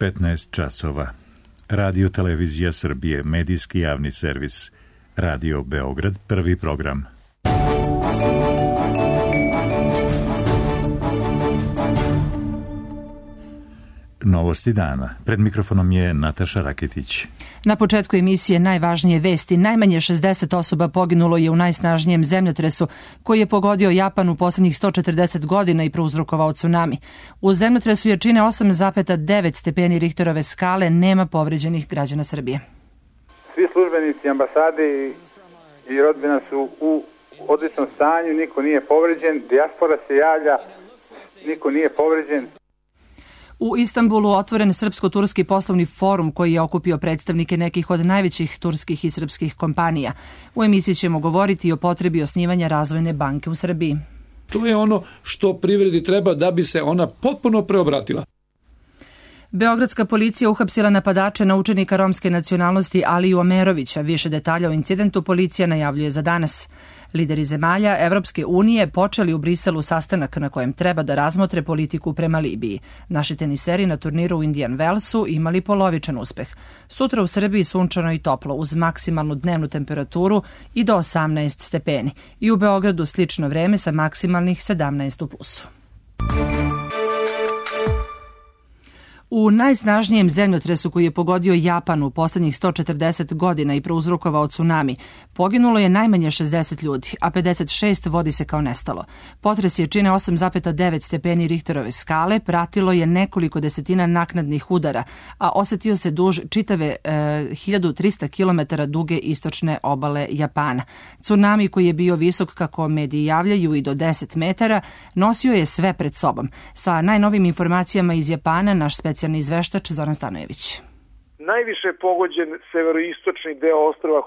15 časova. Radio Televizija Srbije, medijski javni servis. Radio Beograd, prvi program. Novosti dana. Pred mikrofonom je Nataša Raketić. Na početku emisije najvažnije vesti. Najmanje 60 osoba poginulo je u najsnažnijem zemljotresu koji je pogodio Japan u poslednjih 140 godina i prouzrokovao tsunami. U zemljotresu jačine 8,9 stepeni Richterove skale nema povređenih građana Srbije. Svi službenici ambasade i rodbina su u odličnom stanju, niko nije povređen, dijaspora se javlja, niko nije povređen. U Istanbulu otvoren srpsko-turski poslovni forum koji je okupio predstavnike nekih od najvećih turskih i srpskih kompanija. U emisiji ćemo govoriti i o potrebi osnivanja razvojne banke u Srbiji. To je ono što privredi treba da bi se ona potpuno preobratila. Beogradska policija uhapsila napadače na učenika romske nacionalnosti Aliju Omerovića. Više detalja o incidentu policija najavljuje za danas. Lideri zemalja Evropske unije počeli u Briselu sastanak na kojem treba da razmotre politiku prema Libiji. Naši teniseri na turniru u Indian Wellsu imali polovičan uspeh. Sutra u Srbiji sunčano i toplo uz maksimalnu dnevnu temperaturu i do 18 stepeni. I u Beogradu slično vreme sa maksimalnih 17 u plusu. U najsnažnijem zemljotresu koji je pogodio Japan u poslednjih 140 godina i prouzrokovao tsunami, poginulo je najmanje 60 ljudi, a 56 vodi se kao nestalo. Potres jačine 8,9 stepeni Richterove skale pratilo je nekoliko desetina naknadnih udara, a osetio se duž čitave 1300 km duge istočne obale Japana. Tsunami koji je bio visok, kako mediji javljaju, i do 10 metara, nosio je sve pred sobom. Sa najnovim informacijama iz Japana, naš specijalni izveštač Zoran Stanojević. Najviše je pogođen severoistočni deo ostrva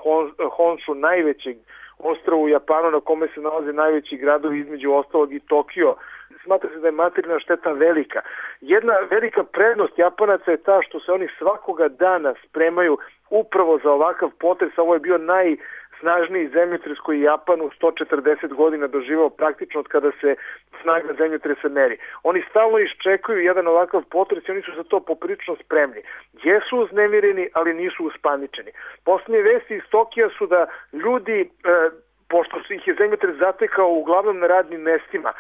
Honshu, najvećeg ostrva u Japanu na kome se nalaze najveći gradovi, između ostalog i Tokio. Smatra se da je materijalna šteta velika. Jedna velika prednost Japanaca je ta što se oni svakoga dana spremaju upravo za ovakav potres. Ovo je bio najsnažniji zemljotres koji je Japan u 140 godina doživao praktično od kada se snaga zemljotresa meri. Oni stalno iščekuju jedan ovakav potres i oni su za to poprilično spremni. Jesu uznemireni, ali nisu uspaničeni. Posljednje vesti iz Tokija su da ljudi, pošto ih je zemljotres zatekao uglavnom na radnim mestima,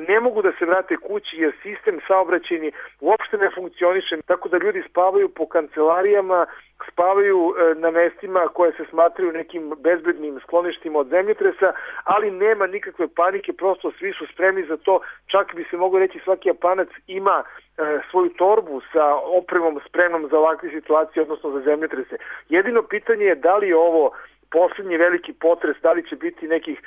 ne mogu da se vrate kući jer sistem saobraćajni uopšte ne funkcioniše, tako da ljudi spavaju po kancelarijama, spavaju na mestima koje se smatraju nekim bezbednim skloništima od zemljotresa, ali nema nikakve panike, prosto svi su spremni za to, čak bi se moglo reći svaki Japanac ima svoju torbu sa opremom spremnom za ovakve situacije, odnosno za zemljotrese. Jedino pitanje je da li je ovo posljednji veliki potres, da li će biti nekih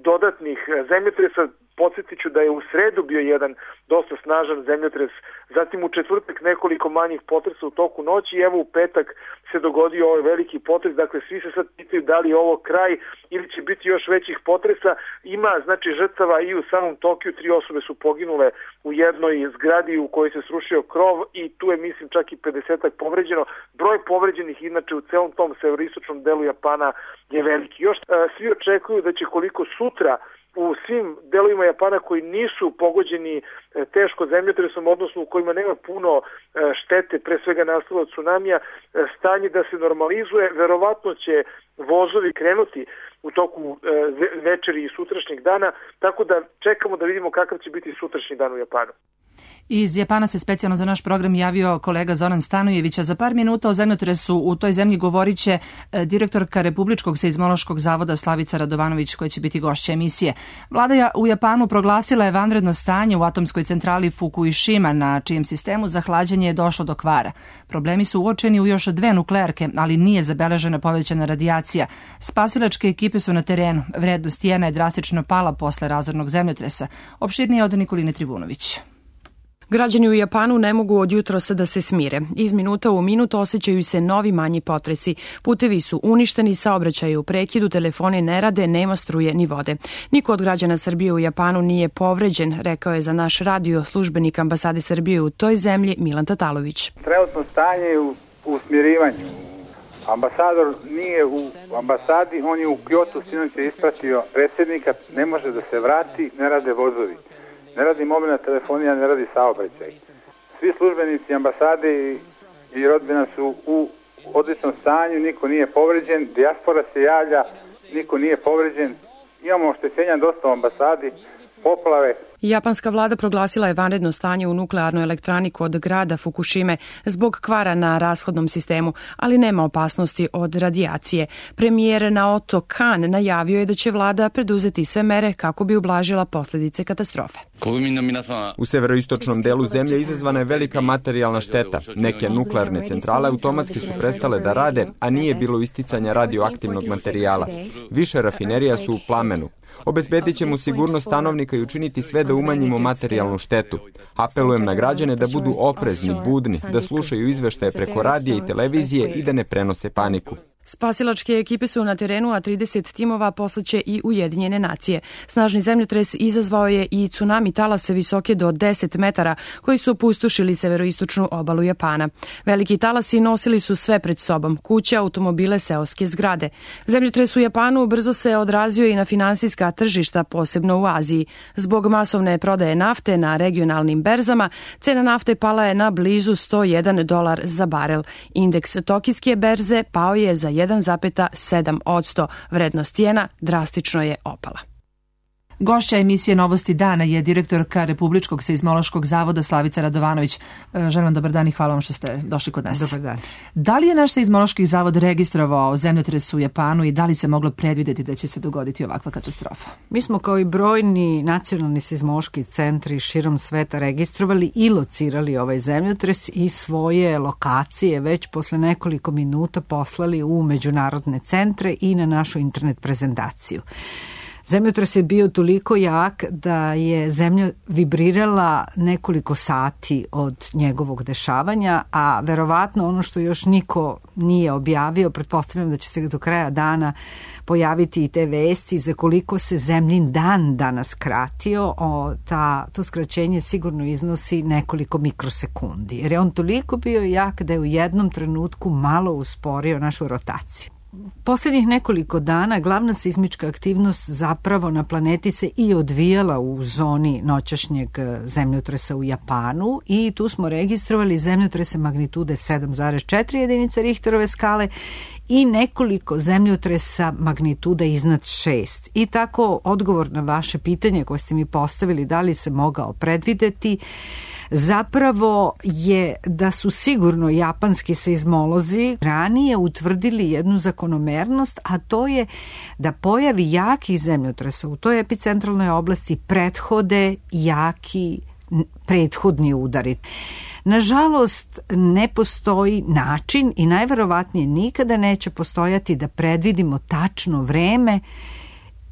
dodatnih zemljotresa. Podsjetit ću da je u sredu bio jedan dosta snažan zemljotres, zatim u četvrtak nekoliko manjih potresa u toku noći i evo u petak se dogodio ovaj veliki potres. Dakle, svi se sad pitaju da li je ovo kraj ili će biti još većih potresa. Ima žrtava i u samom Tokiju, 3 osobe su poginule u jednoj zgradi u kojoj se srušio krov i tu je mislim čak i 50-ak povređeno. Broj povređenih inače u celom tom severoistočnom delu Japana je veliki. Još svi očekuju da će koliko sutra u svim delovima Japana koji nisu pogođeni teško zemljotresom, odnosno u kojima nema puno štete, pre svega nastalo od tsunamija, stanje da se normalizuje. Verovatno će vozovi krenuti u toku večeri i sutrašnjeg dana, tako da čekamo da vidimo kakav će biti sutrašnji dan u Japanu. Iz Japana se specijalno za naš program javio kolega Zoran Stanojević, a za par minuta o zemljotresu u toj zemlji govorit će direktorka Republičkog seizmološkog zavoda Slavica Radovanović, koja će biti gošća emisije. Vlada u Japanu proglasila je vanredno stanje u atomskoj centrali Fukushima, na čijem sistemu za hlađenje je došlo do kvara. Problemi su uočeni u još 2 nuklearke, ali nije zabeležena povećana radijacija. Spasilačke ekipe su na terenu. Vrednost jena je drastično pala posle razornog zemljotresa. Opširnije od Nikoline Trivunović. Građani u Japanu ne mogu od jutrosa da se smire. Iz minuta u minut osjećaju se novi manji potresi. Putevi su uništeni, saobraćaj u prekidu, telefoni ne rade, nema struje ni vode. Niko od građana Srbije u Japanu nije povređen, rekao je za naš radio službenik ambasade Srbije u toj zemlji Milan Tatalović. Trenutno stanje je u smirivanju. Ambasador nije u ambasadi, on je u Kyoto, sinoć je ispratio predsjednika, ne može da se vrati, ne rade vozovi. Ne radi mobilna telefonija, ne radi saobraćaj. svi službenici ambasade i rodbina su u odličnom stanju, niko nije povređen, dijaspora se javlja, niko nije povređen. Imamo oštećenja dosta u ambasadi, poplave. Japanska vlada proglasila je vanredno stanje u nuklearnoj elektrani kod grada Fukushime zbog kvara na rashodnom sistemu, ali nema opasnosti od radijacije. Premijer Naoto Kan najavio je da će vlada preduzeti sve mere kako bi ublažila posljedice katastrofe. U severoistočnom delu zemlje izazvana je velika materijalna šteta. Neke nuklearne centrale automatski su prestale da rade, a nije bilo isticanja radioaktivnog materijala. Više rafinerija su u plamenu. Obezbedit ćemo sigurnost stanovnika i učiniti sve da umanjimo materijalnu štetu. Apelujem na građane da budu oprezni, budni, da slušaju izveštaje preko radija i televizije i da ne prenose paniku. Spasilačke ekipe su na terenu, a 30 timova poslaće i Ujedinjene nacije. Snažni zemljotres izazvao je i tsunami talase visoke do 10 metara, koji su opustošili severoistočnu obalu Japana. Veliki talasi nosili su sve pred sobom, kuće, automobile, seoske zgrade. Zemljotres u Japanu brzo se odrazio i na finansijska tržišta, posebno u Aziji. Zbog masovne prodaje nafte na regionalnim berzama, cena nafte pala je na blizu $101 za barel. Indeks tokijske berze pao je za 1,7%. Vrednost jena drastično je opala. Gošća emisije Novosti dana je direktorka Republičkog seizmološkog zavoda Slavica Radovanović. Želim vam dobar dan i hvala vam što ste došli kod nas. Dobar dan. Da li je naš seizmološki zavod registrovao zemljotres u Japanu i da li se moglo predvideti da će se dogoditi ovakva katastrofa? Mi smo kao i brojni nacionalni seizmološki centri širom sveta registrovali i locirali ovaj zemljotres i svoje lokacije već posle nekoliko minuta poslali u međunarodne centre i na našu internet prezentaciju. Zemljotres je bio toliko jak da je zemlja vibrirala nekoliko sati od njegovog dešavanja, a verovatno ono što još niko nije objavio, pretpostavljam da će se do kraja dana pojaviti i te vesti za koliko se zemljin dan danas kratio, to skraćenje sigurno iznosi nekoliko mikrosekundi, jer je on toliko bio jak da je u jednom trenutku malo usporio našu rotaciju. Posljednjih nekoliko dana glavna seizmička aktivnost zapravo na planeti se i odvijala u zoni noćašnjeg zemljotresa u Japanu i tu smo registrovali zemljotrese magnitude 7,4 jedinice Richterove skale i nekoliko zemljotresa magnituda iznad 6. I tako odgovor na vaše pitanje koje ste mi postavili da li se mogao predvideti zapravo je da su sigurno japanski seizmolozi ranije utvrdili jednu zakonomernost, a to je da pojavi jakih zemljotresa u toj epicentralnoj oblasti prethode jaki prethodni udari. Nažalost, ne postoji način i najverovatnije nikada neće postojati da predvidimo tačno vreme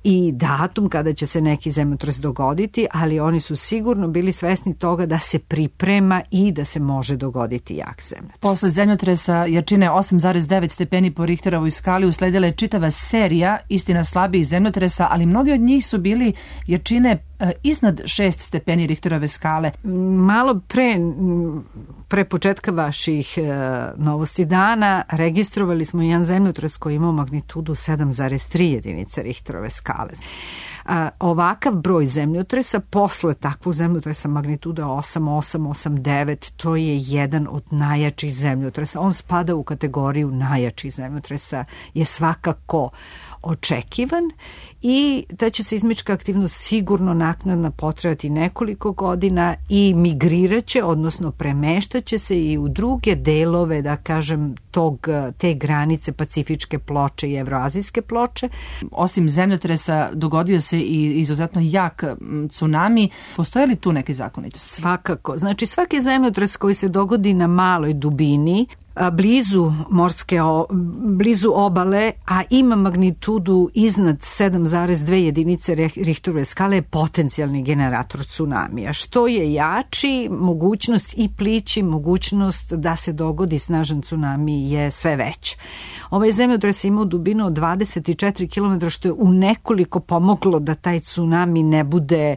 i datum kada će se neki zemljotres dogoditi, ali oni su sigurno bili svesni toga da se priprema i da se može dogoditi jak zemljotres. Posle zemljotresa jačine 8,9 stepeni po Richterovoj skali usledila je čitava serija istina slabijih zemljotresa, ali mnogi od njih su bili jačine iznad 6 stepeni Richterove skale. Malo pre početka vaših novosti dana registrovali smo jedan zemljotres koji imao magnitudu 7,3 jedinice Richterove skale. Ovakav broj zemljotresa posle takvog zemljotresa magnituda 8,9 to je jedan od najjačih zemljotresa. On spada u kategoriju najjačih zemljotresa, je svakako očekivan i da će seizmička aktivnost sigurno naknadno potrajati nekoliko godina i migriraće, odnosno premeštaće se i u druge delove, da kažem, te granice Pacifičke ploče i Evroazijske ploče. Osim zemljotresa dogodio se i izuzetno jak tsunami. Postoje li tu neke zakonitosti? Svakako. Znači svaki zemljotres koji se dogodi na maloj dubini, blizu obale, a ima magnitudu iznad 7,2 jedinice Richterove skale je potencijalni generator tsunamija. Što je jači, mogućnost i plići, mogućnost da se dogodi snažan tsunami je sve veća. Ovaj zemljotres je imao dubinu od 24 km, što je u nekoliko pomoglo da taj tsunami ne bude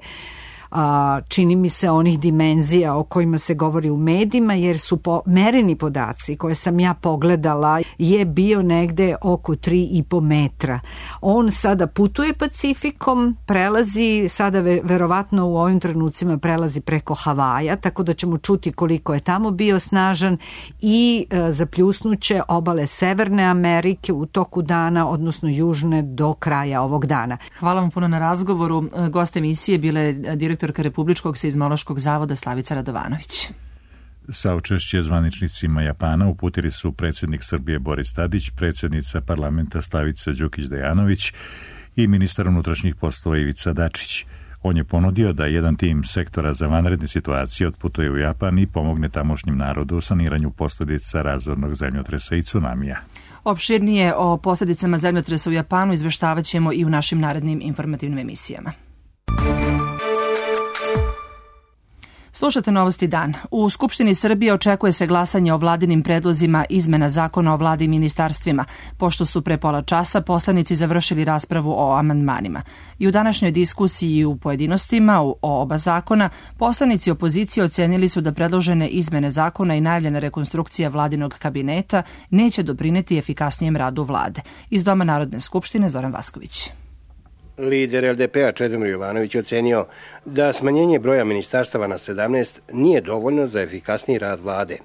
čini mi se, onih dimenzija o kojima se govori u medijima, jer su mereni podaci koje sam ja pogledala je bio negde oko 3,5 metra. On sada putuje Pacifikom, prelazi, sada verovatno u ovim trenucima prelazi preko Havaja, tako da ćemo čuti koliko je tamo bio snažan i zapljusnuće obale Severne Amerike u toku dana, odnosno južne do kraja ovog dana. Hvala vam puno na razgovoru. Gost emisije bila je direktorka Republičkog seizmološkog zavoda Slavica Radovanović. Saučešće zvaničnicima Japana uputili su predsjednik Srbije Boris Tadić, predsjednica parlamenta Slavica Đukić-Dejanović i ministar unutrašnjih poslova Ivica Dačić. On je ponudio da jedan tim sektora za vanredne situacije otputuje u Japan i pomogne tamošnjem narodu u saniranju posljedica razornog zemljotresa i tsunamija. Opširnije o posljedicama zemljotresa u Japanu izveštavat ćemo i u našim narednim informativnim emisijama. Slušate Novosti dan. U Skupštini Srbije očekuje se glasanje o vladinim predlozima izmena zakona o vladi i ministarstvima, pošto su pre pola časa poslanici završili raspravu o amandmanima. I u današnjoj diskusiji u pojedinostima o oba zakona, poslanici opozicije ocenili su da predložene izmene zakona i najavljena rekonstrukcija vladinog kabineta neće doprineti efikasnijem radu vlade. Iz Doma Narodne skupštine Zoran Vasković. Lider LDP-a Čedomir Jovanović ocenio da smanjenje broja ministarstava na 17 nije dovoljno za efikasniji rad vlade.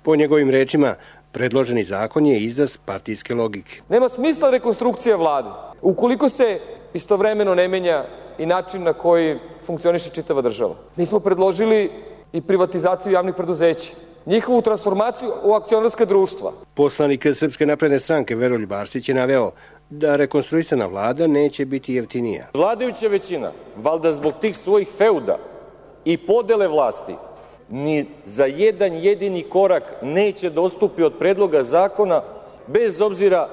Po njegovim rečima, predloženi zakon je izraz partijske logike. Nema smisla rekonstrukcija vlade ukoliko se istovremeno ne menja i način na koji funkcioniše čitava država. Mi smo predložili i privatizaciju javnih preduzeća, njihovu transformaciju u akcionarska društva. Poslanik Srpske napredne stranke Veroljub Arsić je naveo da rekonstruisana vlada neće biti jeftinija. Vladajuća većina, valjda zbog tih svojih feuda i podele vlasti, ni za jedan jedini korak neće dostupi od predloga zakona, bez obzira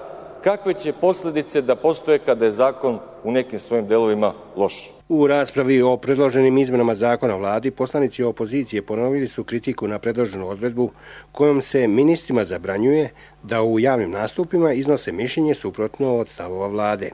kakve će posljedice da postoje kada je zakon u nekim svojim delovima loš. U raspravi o predloženim izmenama zakona o vladi, poslanici opozicije ponovili su kritiku na predloženu odredbu kojom se ministrima zabranjuje da u javnim nastupima iznose mišljenje suprotno od stavova vlade.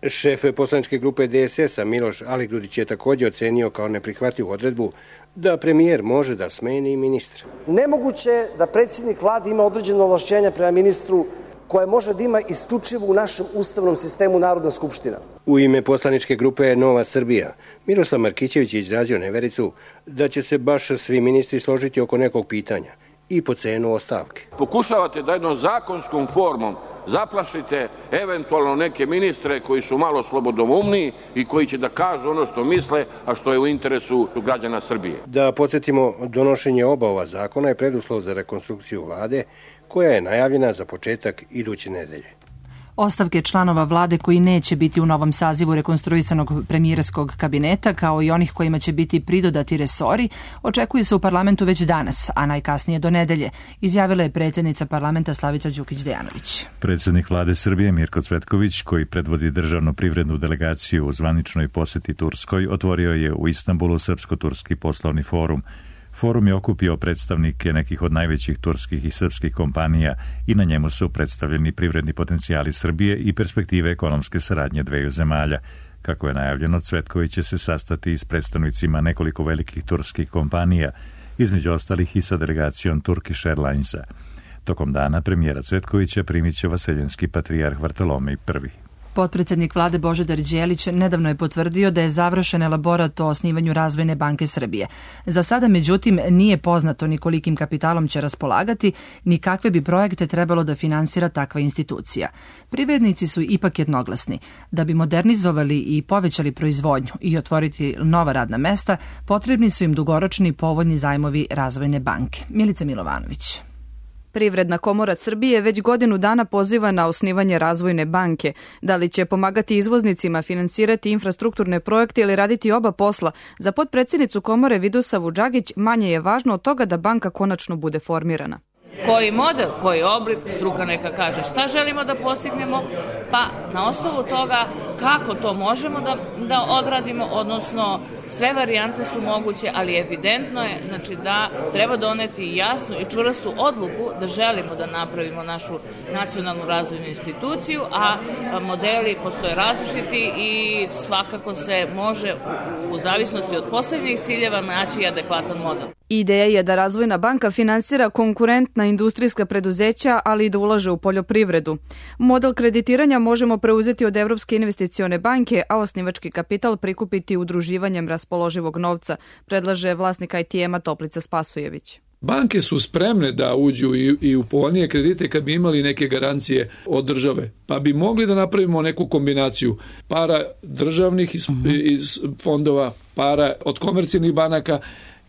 Šef poslaničke grupe DSS-a Miloš Aligrudić je također ocenio kao neprihvatljivu odredbu da premijer može da smeni ministra. Nemoguće je da predsjednik vlade ima određeno ovlašćenja prema ministru koje može da ima isključivo u našem ustavnom sistemu Narodna skupština. U ime poslaničke grupe Nova Srbija, Miroslav Markićević je izrazio nevericu da će se baš svi ministri složiti oko nekog pitanja i po cenu ostavke. Pokušavate da jednom zakonskom formom zaplašite eventualno neke ministre koji su malo slobodoumni i koji će da kažu ono što misle, a što je u interesu građana Srbije. Da podsjetimo, donošenje oba ova zakona je preduslov za rekonstrukciju vlade, koja je najavljena za početak iduće nedelje. Ostavke članova vlade koji neće biti u novom sazivu rekonstruisanog premijerskog kabineta, kao i onih kojima će biti pridodati resori, očekuje se u parlamentu već danas, a najkasnije do nedelje, izjavila je predsjednica parlamenta Slavica Đukić-Dejanović. Predsjednik vlade Srbije Mirko Cvetković, koji predvodi državnu privrednu delegaciju u zvaničnoj posjeti Turskoj, otvorio je u Istanbulu Srpsko-turski poslovni forum. Forum je okupio predstavnike nekih od najvećih turskih i srpskih kompanija i na njemu su predstavljeni privredni potencijali Srbije i perspektive ekonomske saradnje dveju zemalja. Kako je najavljeno, Cvetković će se sastati s predstavnicima nekoliko velikih turskih kompanija, između ostalih i sa delegacijom Turkish Airlinesa. Tokom dana premijera Cvetkovića primit će vaseljenski patrijarh Vartolomej I. Potpredsjednik vlade Božidar Đelić nedavno je potvrdio da je završen elaborat o osnivanju Razvojne banke Srbije. Za sada, međutim, nije poznato ni kolikim kapitalom će raspolagati, ni kakve bi projekte trebalo da finansira takva institucija. Privrednici su ipak jednoglasni. Da bi modernizovali i povećali proizvodnju i otvoriti nova radna mesta, potrebni su im dugoročni povoljni zajmovi Razvojne banke. Milica Milovanović. Privredna komora Srbije već godinu dana poziva na osnivanje Razvojne banke. Da li će pomagati izvoznicima finansirati infrastrukturne projekte ili raditi oba posla, za potpredsjednicu komore Vidosavu Đagić manje je važno od toga da banka konačno bude formirana. Koji model, koji oblik, struka neka kaže šta želimo da postignemo, pa na osnovu toga kako to možemo da odradimo, odnosno sve varijante su moguće, ali evidentno je znači, da treba doneti jasnu i čvrstu odluku da želimo da napravimo našu nacionalnu razvojnu instituciju, a modeli postoje različiti i svakako se može u zavisnosti od postavljenih ciljeva naći adekvatan model. Ideja je da Razvojna banka finansira konkurentna industrijska preduzeća, ali i da ulaže u poljoprivredu. Model kreditiranja možemo preuzeti od Evropske investicione banke, a osnivački kapital prikupiti udruživanjem raspoloživog novca, predlaže vlasnik ITM-a Toplica Spasojević. Banke su spremne da uđu i u povoljnije kredite kad bi imali neke garancije od države, pa bi mogli da napravimo neku kombinaciju para državnih iz fondova, para od komercijalnih banaka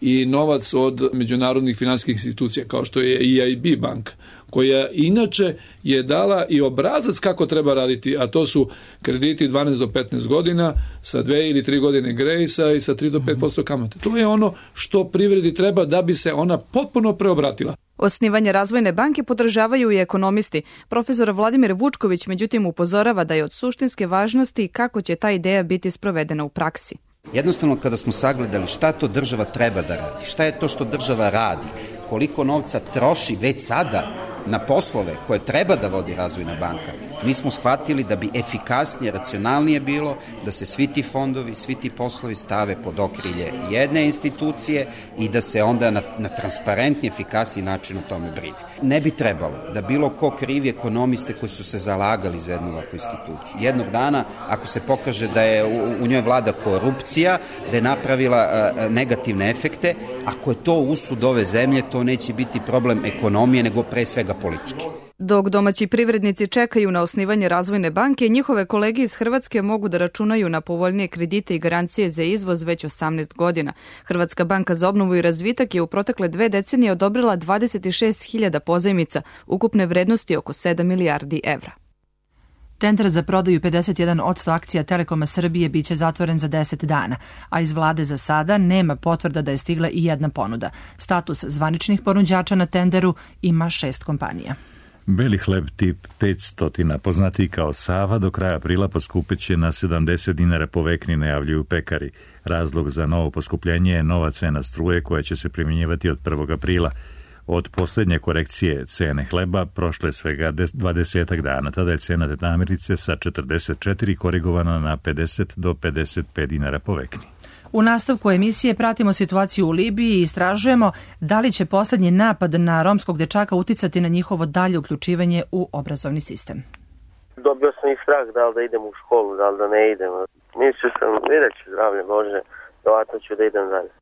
i novac od međunarodnih finansijskih institucija kao što je EIB banka, koja inače je dala i obrazac kako treba raditi, a to su krediti 12 do 15 godina sa 2 ili 3 godine grejsa i sa 3 do 5% kamate. To je ono što privredi treba da bi se ona potpuno preobratila. Osnivanje Razvojne banke podržavaju i ekonomisti. Profesor Vladimir Vučković međutim upozorava da je od suštinske važnosti kako će ta ideja biti sprovedena u praksi. Jednostavno kada smo sagledali šta to država treba da radi, šta je to što država radi, koliko novca troši već sada na poslove koje treba da vodi Razvojna banka, mi smo shvatili da bi efikasnije, racionalnije bilo da se svi ti fondovi, svi ti poslovi stave pod okrilje jedne institucije i da se onda na transparentni, efikasniji način o tome brine. Ne bi trebalo da bilo ko krivi ekonomiste koji su se zalagali za jednu ovakvu instituciju. Jednog dana, ako se pokaže da je u njoj vlada korupcija, da je napravila negativne efekte, ako je to usud ove zemlje, to neće biti problem ekonomije, nego pre svega politike. Dok domaći privrednici čekaju na osnivanje Razvojne banke, njihove kolege iz Hrvatske mogu da računaju na povoljnije kredite i garancije za izvoz već 18 godina. Hrvatska banka za obnovu i razvitak je u protekle 2 decenije odobrila 26.000 pozajmica, ukupne vrednosti oko 7 milijardi evra. Tender za prodaju 51% akcija Telekoma Srbije biće zatvoren za 10 dana, a iz vlade za sada nema potvrda da je stigla i jedna ponuda. Status zvaničnih ponuđača na tenderu ima 6 kompanija. Beli hleb tip 500, poznatiji kao Sava, do kraja aprila poskupeće na 70 dinara po vekni, najavljuju pekari. Razlog za novo poskupljenje je nova cena struje koja će se primjenjivati od 1. aprila. Od posljednje korekcije cene hleba prošlo je svega 20 dana. Tada je cena namirnice sa 44 korigovana na 50 do 55 dinara po vekni. U nastavku emisije pratimo situaciju u Libiji i istražujemo da li će poslednji napad na romskog dečaka uticati na njihovo dalje uključivanje u obrazovni sistem. Dobio sam i strah da li da idem u školu, da li da ne idem. Mislio sam, vidjet ću, zdravlje Bože, vjerojatno ću da idem dalje.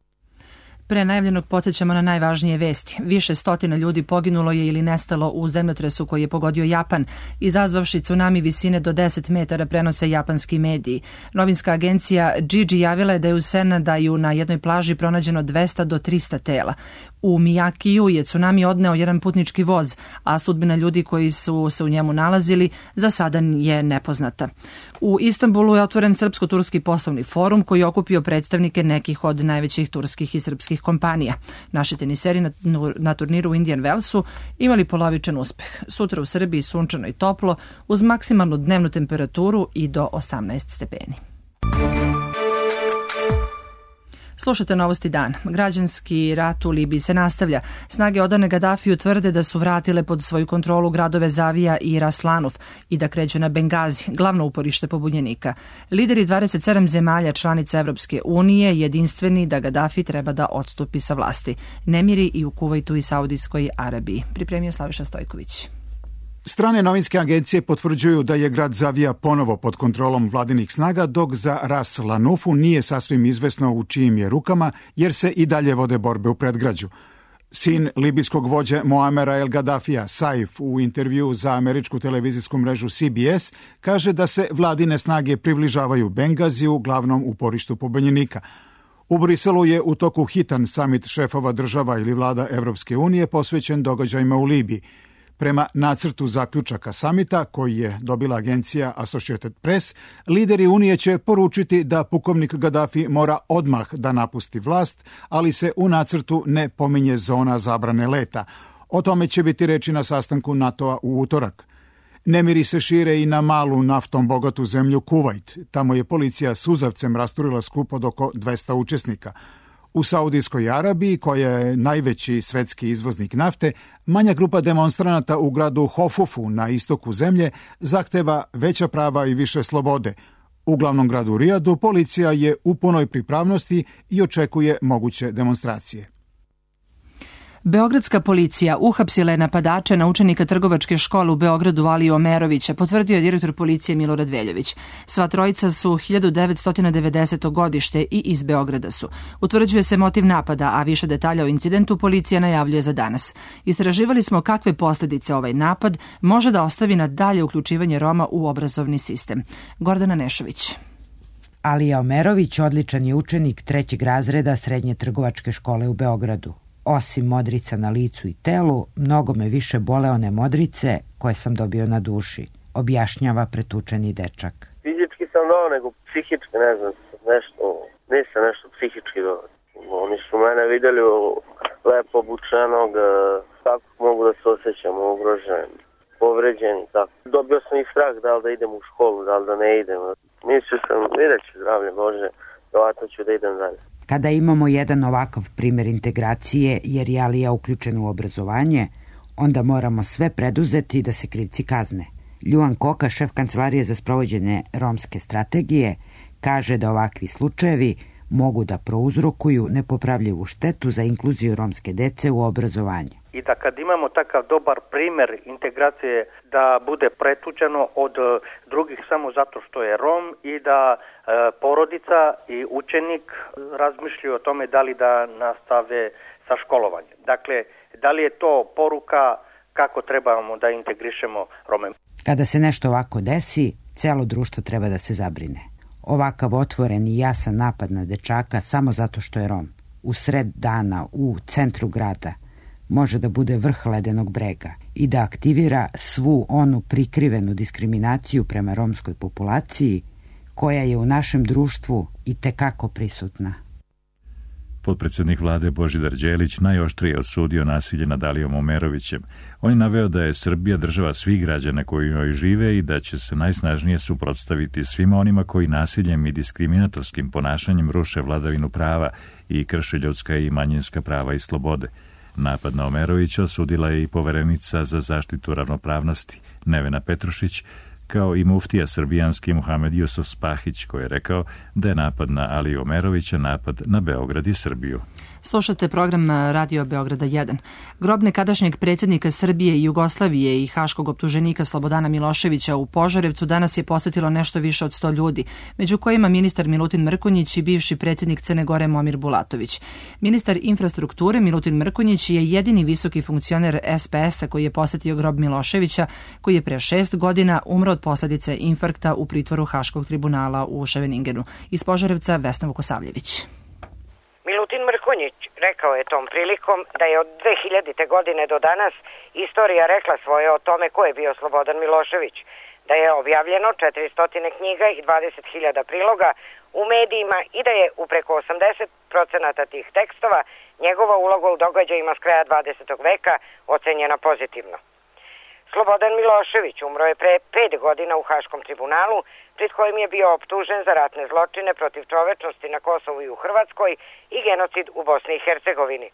Pre najavljenog podsjećamo na najvažnije vesti. Više stotina ljudi poginulo je ili nestalo u zemljotresu koji je pogodio Japan, izazvavši tsunami visine do 10 metara, prenose japanski mediji. Novinska agencija Gigi javila je da je u Senadaju na jednoj plaži pronađeno 200 do 300 tela. U Mijakiju je tsunami odneo jedan putnički voz, a sudbina ljudi koji su se u njemu nalazili za sada je nepoznata. U Istanbulu je otvoren Srpsko-turski poslovni forum koji je okupio predstavnike nekih od najvećih turskih i srpskih kompanija. Naši teniseri na turniru u Indian Wellsu imali polovičan uspeh. Sutra u Srbiji sunčano i toplo, uz maksimalnu dnevnu temperaturu i do 18 stepeni. Slušate Novosti dan. Građanski rat u Libiji se nastavlja. Snage odane Gadafiju tvrde da su vratile pod svoju kontrolu gradove Zavija i Raslanuf i da kreću na Bengazi, glavno uporište pobunjenika. Lideri 27 zemalja članica Evropske unije jedinstveni da Gadafi treba da odstupi sa vlasti. Nemiri i u Kuvajtu i Saudijskoj Arabiji. Pripremio Slaviša Stojković. Strane novinske agencije potvrđuju da je grad Zavija ponovo pod kontrolom vladinih snaga, dok za Ras Lanufu nije sasvim izvesno u čijim je rukama, jer se i dalje vode borbe u predgrađu. Sin libijskog vođe Moamera El Gaddafija, Saif, u intervju za američku televizijsku mrežu CBS, kaže da se vladine snage približavaju Bengaziju, glavnom uporištu pobunjenika. U Briselu je u toku hitan samit šefova država ili vlada Evropske unije posvećen događajima u Libiji. Prema nacrtu zaključaka samita, koji je dobila agencija Associated Press, lideri Unije će poručiti da pukovnik Gaddafi mora odmah da napusti vlast, ali se u nacrtu ne pominje zona zabrane leta. O tome će biti reči na sastanku NATO-a u utorak. Nemiri se šire i na malu naftom bogatu zemlju Kuvajt. Tamo je policija suzavcem rasturila skup od oko 200 učesnika. U Saudijskoj Arabiji, koja je najveći svetski izvoznik nafte, manja grupa demonstranata u gradu Hofufu na istoku zemlje zahteva veća prava i više slobode. U glavnom gradu Rijadu policija je u punoj pripravnosti i očekuje moguće demonstracije. Beogradska policija uhapsila je napadače na učenika trgovačke škole u Beogradu Aliju Omerovića, potvrdio je direktor policije Milorad Veljović. Sva trojica su 1990. godište i iz Beograda su. Utvrđuje se motiv napada, a više detalja o incidentu policija najavljuje za danas. Istraživali smo kakve posljedice ovaj napad može da ostavi na dalje uključivanje Roma u obrazovni sistem. Gordana Nešović. Alija Omerović odličan je učenik 3. razreda Srednje trgovačke škole u Beogradu. Osim modrica na licu i telu, mnogo me više bole one modrice koje sam dobio na duši, objašnjava pretučeni dečak. Fizički sam dao, nego psihički, ne znam, nisam nešto psihički dao. Oni su mene vidjeli lepo obučenog, kako mogu da se osjećam ugrožen, povređen i tako. Dobio sam i strah da li da idem u školu, da li da ne idem. Mislio sam, vidjet ću zdravlje Bože, vjerojatno ću da idem dalje. Kada imamo jedan ovakav primjer integracije, jer je Alija uključen u obrazovanje, onda moramo sve preduzeti da se krivci kazne. Ljuan Koka, šef Kancelarije za sprovođenje romske strategije, kaže da ovakvi slučajevi mogu da prouzrokuju nepopravljivu štetu za inkluziju romske dece u obrazovanje. I da kad imamo takav dobar primjer integracije da bude pretučeno od drugih samo zato što je Rom i da porodica i učenik razmišljaju o tome da li da nastave sa školovanjem. Dakle, da li je to poruka kako trebamo da integrišemo Rome. Kada se nešto ovako desi, celo društvo treba da se zabrine. Ovakav otvoren i jasan napad na dečaka samo zato što je Rom, u sred dana, u centru grada, može da bude vrh ledenog brega i da aktivira svu onu prikrivenu diskriminaciju prema romskoj populaciji koja je u našem društvu i tekako prisutna. Potpredsjednik vlade Božidar Đelić najoštrije osudio nasilje nad Alijom Omerovićem. On je naveo da je Srbija država svih građana koji u njoj žive i da će se najsnažnije suprotstaviti svima onima koji nasiljem i diskriminatorskim ponašanjem ruše vladavinu prava i krše ljudska i manjinska prava i slobode. Napad na Omerovića osudila je i poverenica za zaštitu ravnopravnosti Nevena Petrušić, kao i muftija srbijanski Muhamed Jusuf Spahić, koji je rekao da je napad na Aliju Omerovića napad na Beograd i Srbiju. Slušate program Radio Beograda 1. Grob nekadašnjeg predsjednika Srbije i Jugoslavije i haškog optuženika Slobodana Miloševića u Požarevcu danas je posetilo nešto više od 100 ljudi, među kojima ministar Milutin Mrkonjić i bivši predsjednik Crne Gore Momir Bulatović. Ministar infrastrukture Milutin Mrkonjić je jedini visoki funkcioner SPS-a koji je posetio grob Miloševića, koji je pre 6 godina umro od posljedice infarkta u pritvoru Haškog tribunala u Ševeningenu. Iz Požarevca Vesna Vukosavljević. Milutin Mrkonjić rekao je tom prilikom da je od 2000. godine do danas istorija rekla svoje o tome ko je bio Slobodan Milošević, da je objavljeno 400 knjiga i 20.000 priloga u medijima i da je u preko 80% tih tekstova njegova uloga u događajima s kraja 20. veka ocenjena pozitivno. Slobodan Milošević umro je pre 5 godina u Haškom tribunalu, pred kojim je bio optužen za ratne zločine protiv čovečnosti na Kosovu i u Hrvatskoj i genocid u Bosni i Hercegovini.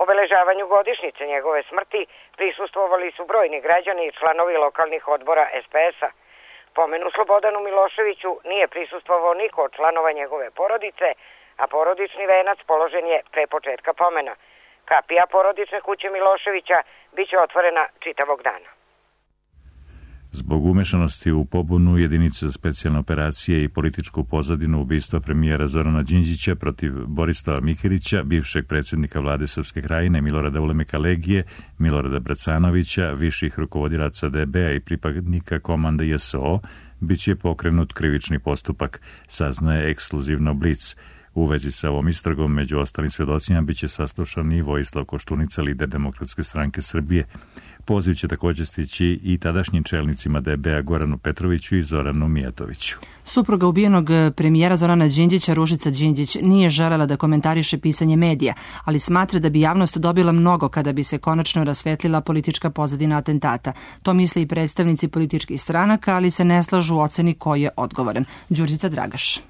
Obeležavanju godišnjice njegove smrti prisustvovali su brojni građani i članovi lokalnih odbora SPS-a. Pomenu Slobodanu Miloševiću nije prisustvovao niko od članova njegove porodice, a porodični venac položen je pre početka pomena. Kapija porodične kuće Miloševića biće otvorena čitavog dana. Zbog umešanosti u pobunu jedinice za specijalne operacije i političku pozadinu ubistva premijera Zorana Đinđića protiv Borislava Mikirića, bivšeg predsjednika vlade Srpske Krajine, Milorada Ulemeka Legije, Milorada Bracanovića, viših rukovodilaca DB-a i pripadnika komanda JSO, bit će pokrenut krivični postupak, saznaje ekskluzivno Blic. U vezi sa ovom istragom, među ostalim svjedocima, biće saslušan i Vojislav Koštunica, lider Demokratske stranke Srbije. Poziv će također stići i tadašnjim čelnicima DB-a Goranu Petroviću i Zoranu Mijatoviću. Supruga ubijenog premijera Zorana Đinđića, Ružica Đinđić, nije želela da komentariše pisanje medija, ali smatra da bi javnost dobila mnogo kada bi se konačno rasvetlila politička pozadina atentata. To misle i predstavnici političkih stranaka, ali se ne slažu u oceni ko je odgovoran. Đurđica Dragaš.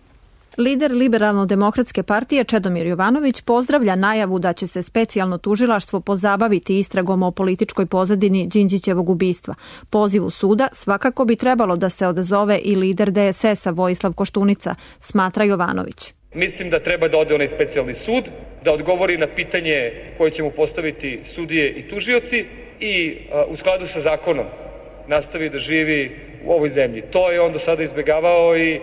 Lider Liberalno-demokratske partije Čedomir Jovanović pozdravlja najavu da će se specijalno tužilaštvo pozabaviti istragom o političkoj pozadini Đinđićevog ubistva. Pozivu suda svakako bi trebalo da se odazove i lider DSS-a Vojislav Koštunica, smatra Jovanović. Mislim da treba da ode onaj specijalni sud, da odgovori na pitanje koje će mu postaviti sudije i tužioci i u skladu sa zakonom nastavi da živi u ovoj zemlji. To je on do sada izbjegavao i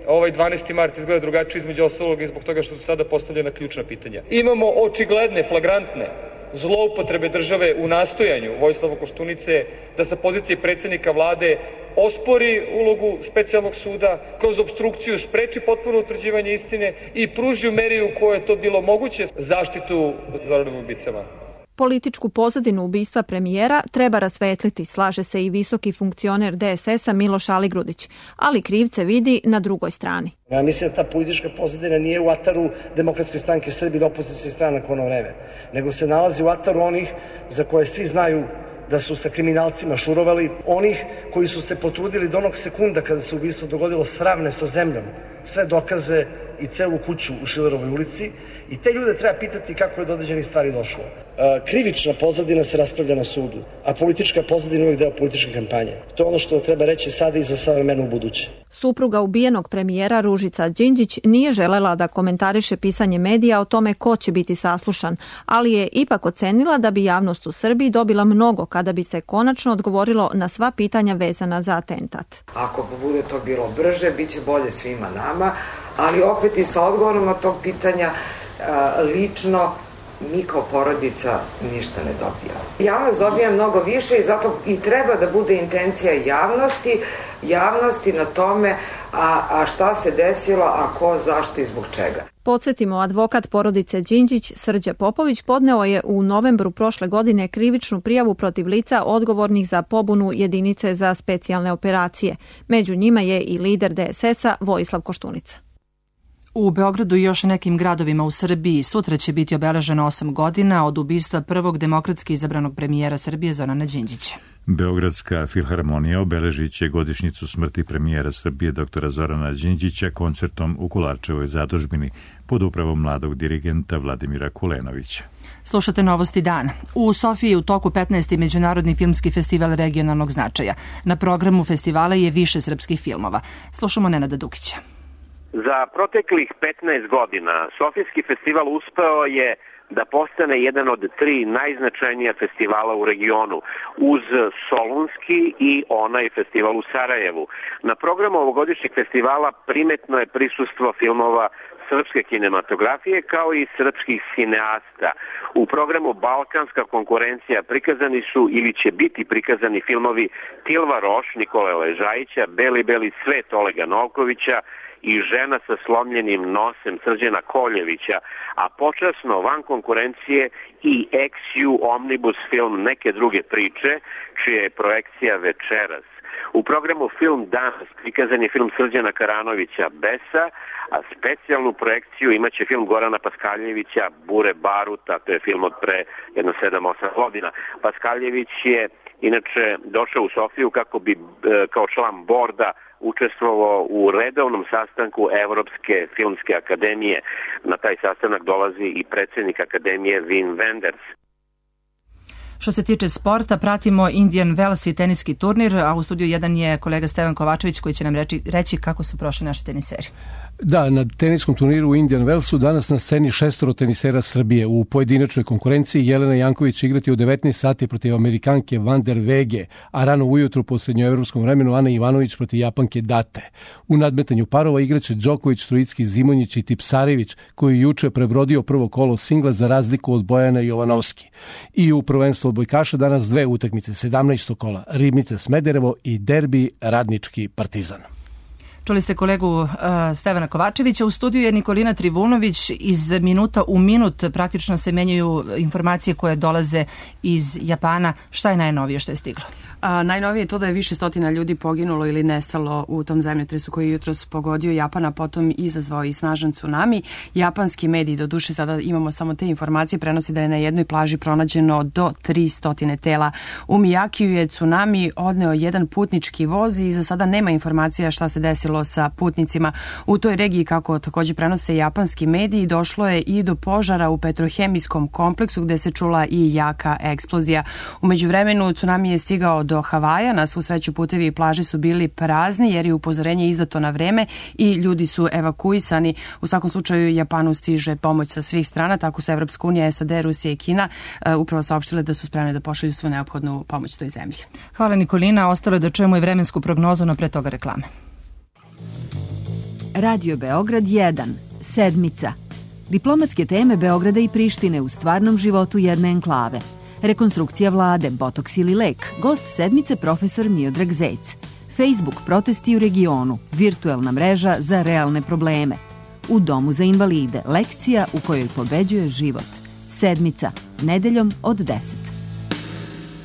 ovaj 12. mart izgleda drugačije između ostalog i zbog toga što su sada postavljena ključna pitanja. Imamo očigledne, flagrantne zloupotrebe države u nastojanju Vojislava Koštunice da sa pozicije predsjednika vlade ospori ulogu specijalnog suda, kroz opstrukciju spreči potpuno utvrđivanje istine i pruži u meri u kojoj je to bilo moguće zaštitu Zoranovim ubicama. Političku pozadinu ubistva premijera treba rasvetliti, slaže se i visoki funkcioner DSS-a Miloš Aligrudić, ali krivce vidi na drugoj strani. Ja mislim da ta politička pozadina nije u ataru Demokratske stranke Srbije ili opozicijskih stranaka u ono vreme, nego se nalazi u ataru onih za koje svi znaju da su sa kriminalcima šurovali, onih koji su se potrudili do onog sekunda kada se ubistvo dogodilo sravne sa zemljom, sve dokaze i celu kuću u Šilerovoj ulici, i te ljude treba pitati kako je do određenih stvari došlo. Krivična pozadina se raspravlja na sudu, a politička pozadina je uvijek deo političke kampanje. To je ono što treba reći sada i za sve vremena u buduće. Supruga ubijenog premijera Ružica Đinđić nije želela da komentariše pisanje medija o tome ko će biti saslušan, ali je ipak ocenila da bi javnost u Srbiji dobila mnogo kada bi se konačno odgovorilo na sva pitanja vezana za atentat. Ako bude to bilo brže, bit će bolje svima nama, ali opet i sa odgovorom na tog pitanja lično mi kao porodica ništa ne dobijamo. Javnost dobija mnogo više i zato i treba da bude intencija javnosti na tome a šta se desilo, a ko, zašto i zbog čega. Podsjetimo, advokat porodice Đinđić Srđa Popović podneo je u novembru prošle godine krivičnu prijavu protiv lica odgovornih za pobunu jedinice za specijalne operacije. Među njima je i lider DSS-a Vojislav Koštunica. U Beogradu i još nekim gradovima u Srbiji sutra će biti obeleženo 8 godina od ubistva prvog demokratski izabranog premijera Srbije Zorana Đinđića. Beogradska filharmonija obeležit će godišnjicu smrti premijera Srbije dr. Zorana Đinđića koncertom u Kolarčevoj zadužbini pod upravom mladog dirigenta Vladimira Kulenovića. Slušate Novosti dana. U Sofiji u toku 15. Međunarodni filmski festival regionalnog značaja. Na programu festivala je više srpskih filmova. Slušamo Nenada Dukića. Za proteklih 15 godina Sofijski festival uspeo je da postane jedan od 3 najznačajnija festivala u regionu, uz Solunski i onaj festival u Sarajevu. Na programu ovogodišnjeg festivala primetno je prisustvo filmova srpske kinematografije kao i srpskih cineasta. U programu Balkanska konkurencija prikazani su ili će biti prikazani filmovi Tilva Roš, Nikole Ležajića, Beli svet Olega Novkovića i Žena sa slomljenim nosem Srđana Koljevića, a počasno van konkurencije i ex-ju omnibus film Neke druge priče, čija je projekcija večeras. U programu Film danas prikazan je film Srđana Karanovića Besa, a specijalnu projekciju imaće film Gorana Paskaljevića Bure Baruta, to je film od pre jedno 7-8 godina. Paskaljević je inače došao u Sofiju kako bi kao član borda učestvovao u redovnom sastanku Evropske filmske akademije. Na taj sastanak dolazi i predsjednik akademije Wim Wenders. Što se tiče sporta, pratimo Indian Wells i teniski turnir, a u studiju 1 je kolega Stevan Kovačević koji će nam reći kako su prošli naši teniseri. Da, na teniskom turniru u Indian Wellsu danas na sceni 6 tenisera Srbije. U pojedinačnoj konkurenciji Jelena Janković će igrati u 19 sati protiv Amerikanke Van der Wege, a rano ujutru po srednjoevropskom vremenu Ana Ivanović protiv Japanke Date. U nadmetanju parova igraće Đoković, Trojicki, Zimonjić i Tipsarević, koji juče prebrodio prvo kolo singla za razliku od Bojana Jovanovski. I u prvenstvu odbojkaša danas 2 utakmice, 17. kola, Ribnica Smederevo i derbi Radnički Partizan. Čuli ste kolegu Stevana Kovačevića. U studiju je Nikolina Trivunović. Iz minuta u minut praktično se menjaju informacije koje dolaze iz Japana. Šta je najnovije što je stiglo? Najnovije je to da je više stotina ljudi poginulo ili nestalo u tom zemljotresu koji je jutros pogodio Japan, a potom izazvao i snažan tsunami. Japanski mediji, do duše sada imamo samo te informacije, prenosi da je na jednoj plaži pronađeno do 300 tela. U Mijakiju je tsunami odneo jedan putnički voz i za sada nema informacija šta se desilo sa putnicima. U toj regiji, kako također prenose japanski mediji, došlo je i do požara u petrohemijskom kompleksu gde se čula i jaka eksplozija. U međuvremenu tsunami je stigao do Havaja. Na svu sreću putevi i plaže su bili prazni jer je upozorenje izdato na vreme i ljudi su evakuisani. U svakom slučaju Japanu stiže pomoć sa svih strana, tako su Evropska unija, SAD, Rusija i Kina upravo saopštile da su spremne da pošalju svu neophodnu pomoć toj zemlji. Hvala Nikolina, ostalo je da čujemo i vremensku prognozu, no pre toga reklame. Radio Beograd 1. Sedmica. Diplomatske teme Beograda i Prištine u stvarnom životu jedne enklave. Rekonstrukcija vlade, botoks ili lek, gost sedmice profesor Miodrag Zec. Facebook protesti u regionu, virtuelna mreža za realne probleme. U domu za invalide, lekcija u kojoj pobeđuje život. Sedmica, nedeljom od 10.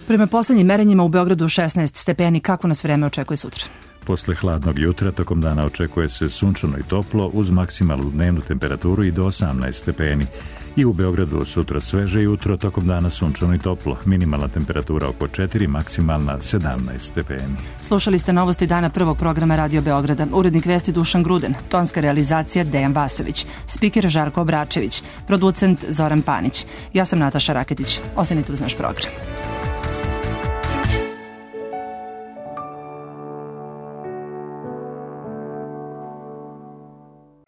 Prema poslednjim merenjima u Beogradu 16 stepeni. Kako nas vreme očekuje sutra? Posle hladnog jutra tokom dana očekuje se sunčano i toplo uz maksimalnu dnevnu temperaturu i do 18 stepeni. I u Beogradu sutra sveže jutro, tokom dana sunčano i toplo. Minimalna temperatura oko 4, maksimalna 17 stepeni. Slušali ste novosti dana prvog programa Radio Beograda. Urednik vesti Dušan Gruden, tonska realizacija Dejan Vasović, spiker Žarko Obračević, producent Zoran Panić. Ja sam Nataša Raketić. Ostanite uz naš program.